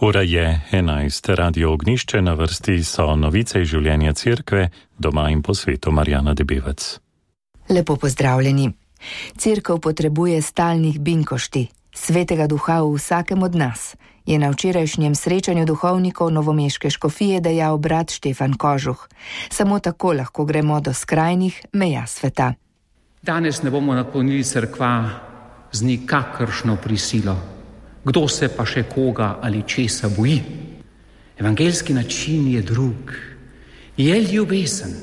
Ura je 11. Radio Ognišče, na vrsti so novice iz življenja cerkve, doma in po svetu. Marjana Debevec. Lepo pozdravljeni. Cerkev potrebuje stalnih binkošti, svetega duha v vsakem od nas, je na včerajšnjem srečanju duhovnikov novomeške škofije dejal brat Štefan Kožuh. Samo tako lahko gremo do skrajnih meja sveta. Danes ne bomo napolnili cerkva z nikakršno prisilo. Kdo se pa še koga ali česa boji? Evangeljski način je drug. Je ljubezen,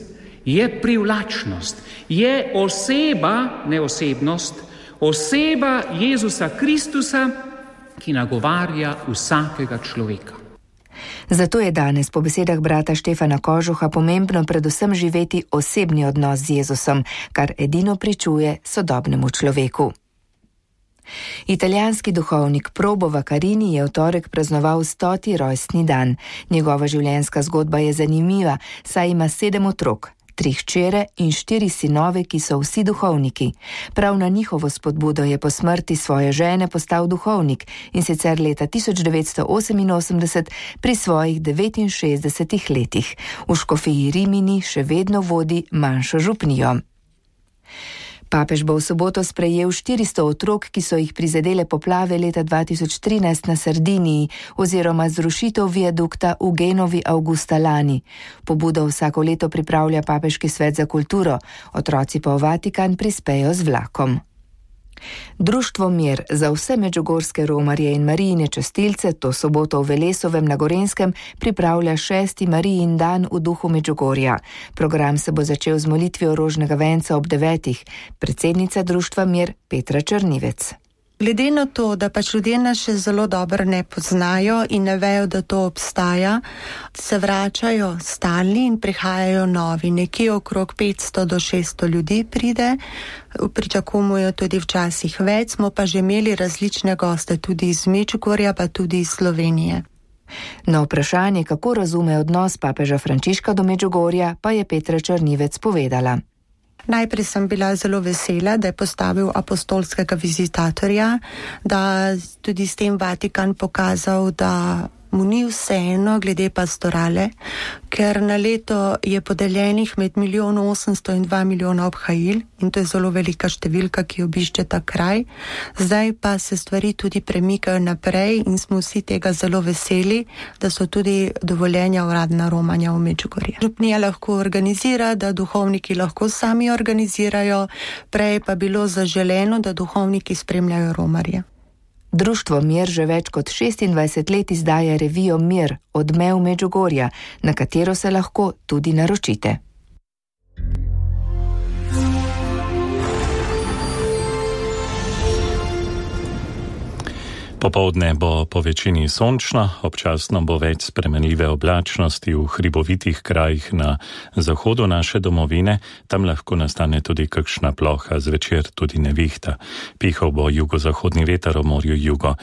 je privlačnost, je oseba, ne osebnost, oseba Jezusa Kristusa, ki nagovarja vsakega človeka. Zato je danes po besedah brata Štefana Kožuha pomembno predvsem živeti osebni odnos z Jezusom, kar edino pričuje sodobnemu človeku. Italijanski duhovnik Probo Vaccarini je v torek praznoval 100. rojstni dan. Njegova življenjska zgodba je zanimiva, saj ima 7 otrok, 3 hčere in 4 sinove, ki so vsi duhovniki. Prav na njihovo spodbudo je po smrti svoje žene postal duhovnik, in sicer leta 1988 pri svojih 69 letih. V škofiji Rimini še vedno vodi manjšo župnijo. Papež bo v soboto sprejel 400 otrok, ki so jih prizadele poplave leta 2013 na Sardiniji oziroma zrušitev viadukta v Genovi avgusta lani. Pobudo vsako leto pripravlja Papeški svet za kulturo, otroci pa v Vatikan prispejo z vlakom. Društvo Mir za vse medžugorske romarje in Marijine častilce to soboto v Velesovem na Gorenjskem pripravlja 6. Marijin dan v duhu Medžugorja. Program se bo začel z molitvijo rožnega venca ob 9. Predsednica društva Mir Petra Črnivec. Glede na to, da pač ljudje nas še zelo dobro ne poznajo in ne vejo, da to obstaja, se vračajo stalni in prihajajo novi. Nekje okrog 500 do 600 ljudi pride, pričakujemo tudi včasih več, smo pa že imeli različne goste, tudi iz Medžugorja, pa tudi iz Slovenije. Na vprašanje, kako razume odnos papeža Frančiška do Medžugorja, pa je Petra Črnivec povedala. Najprej sem bila zelo vesela, da je postavil apostolskega vizitatorja, da tudi s tem Vatikan pokazal, da mu ni vseeno glede pastorale, ker na leto je podeljenih med 1.800.000 in 2 milijona obhajil in to je zelo velika številka, ki obišče ta kraj. Zdaj pa se stvari tudi premikajo naprej in smo vsi tega zelo veseli, da so tudi dovoljenja uradna romanja v Medžugorje. Župnija lahko organizira, da duhovniki lahko sami organizirajo, prej pa bilo zaželeno, da duhovniki spremljajo romarje. Društvo Mir že več kot 26 let izdaja revijo Mir, odmev Medžugorja, na katero se lahko tudi naročite. Popoldne bo po večini sončno, občasno bo več spremenljive oblačnosti v hribovitih krajih na zahodu naše domovine, tam lahko nastane tudi kakšna ploha, zvečer tudi nevihta. Pihal bo jugozahodni veter v morju jugo.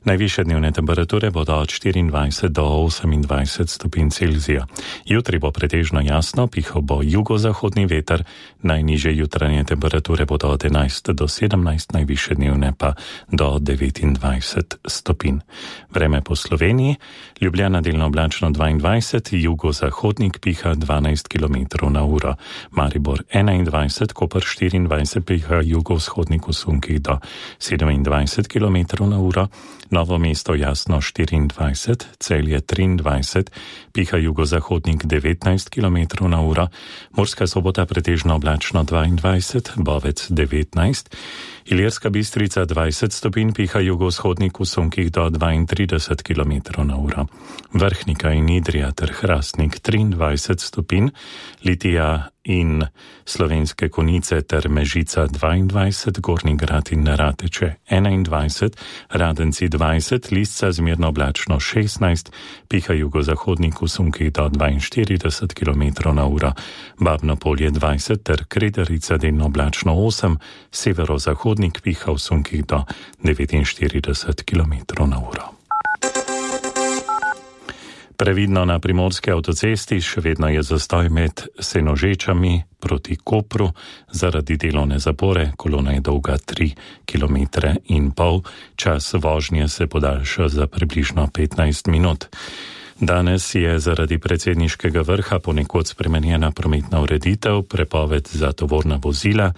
Najvišje dnevne temperature bodo od 24 do 28 stopinj Celzija. Jutri bo pretežno jasno, pihal bo jugozahodni veter, najnižje jutranje temperature bodo od 11 do 17, najvišje dnevne pa do 29 stopinj. Vreme po Sloveniji, Ljubljana delno oblačno 22, jugozahodnik piha 12 km na uro, Maribor 21, Koper 24, piha jugovzhodnik v sunkih do 27 km na uro, Novo mesto jasno 24, Celje 23, piha jugozahodnik 19 km na uro, Murska Sobota pretežno oblačno 22, Bovec 19, Ilirska Bistrica 20 stopinj, piha jugovzhodnik v sunkih do 32 km na uro. Vrhnika in Idrija ter Hrastnik 23 stopinj, Litija in Slovenske Konjice ter Mežica 22, Gornji Grad in Rateče 21, Radenci 20, Lisca zmerno oblačno 16, piha jugozahodnik v sunkih do 42 km na uro, Babno Polje 20 ter Kredarica delno oblačno 8, severozahodnik piha v sunkih do 49 km na uro. Previdno na primorski avtocesti, še vedno je zastoj med Senožečami proti Kopru zaradi delovne zapore, kolona je dolga 3,5 km. Čas vožnje se podaljša za približno 15 minut. Danes je zaradi predsedniškega vrha ponekod spremenjena prometna ureditev, prepoved za tovorna vozila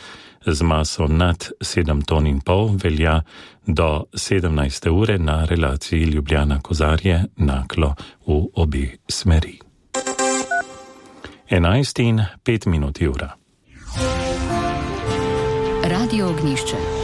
z maso nad 7,5 ton velja do 17. ure na relaciji Ljubljana-Kozarje, Naklo v obe smeri. 11:05 ura. Radio Ognjišče.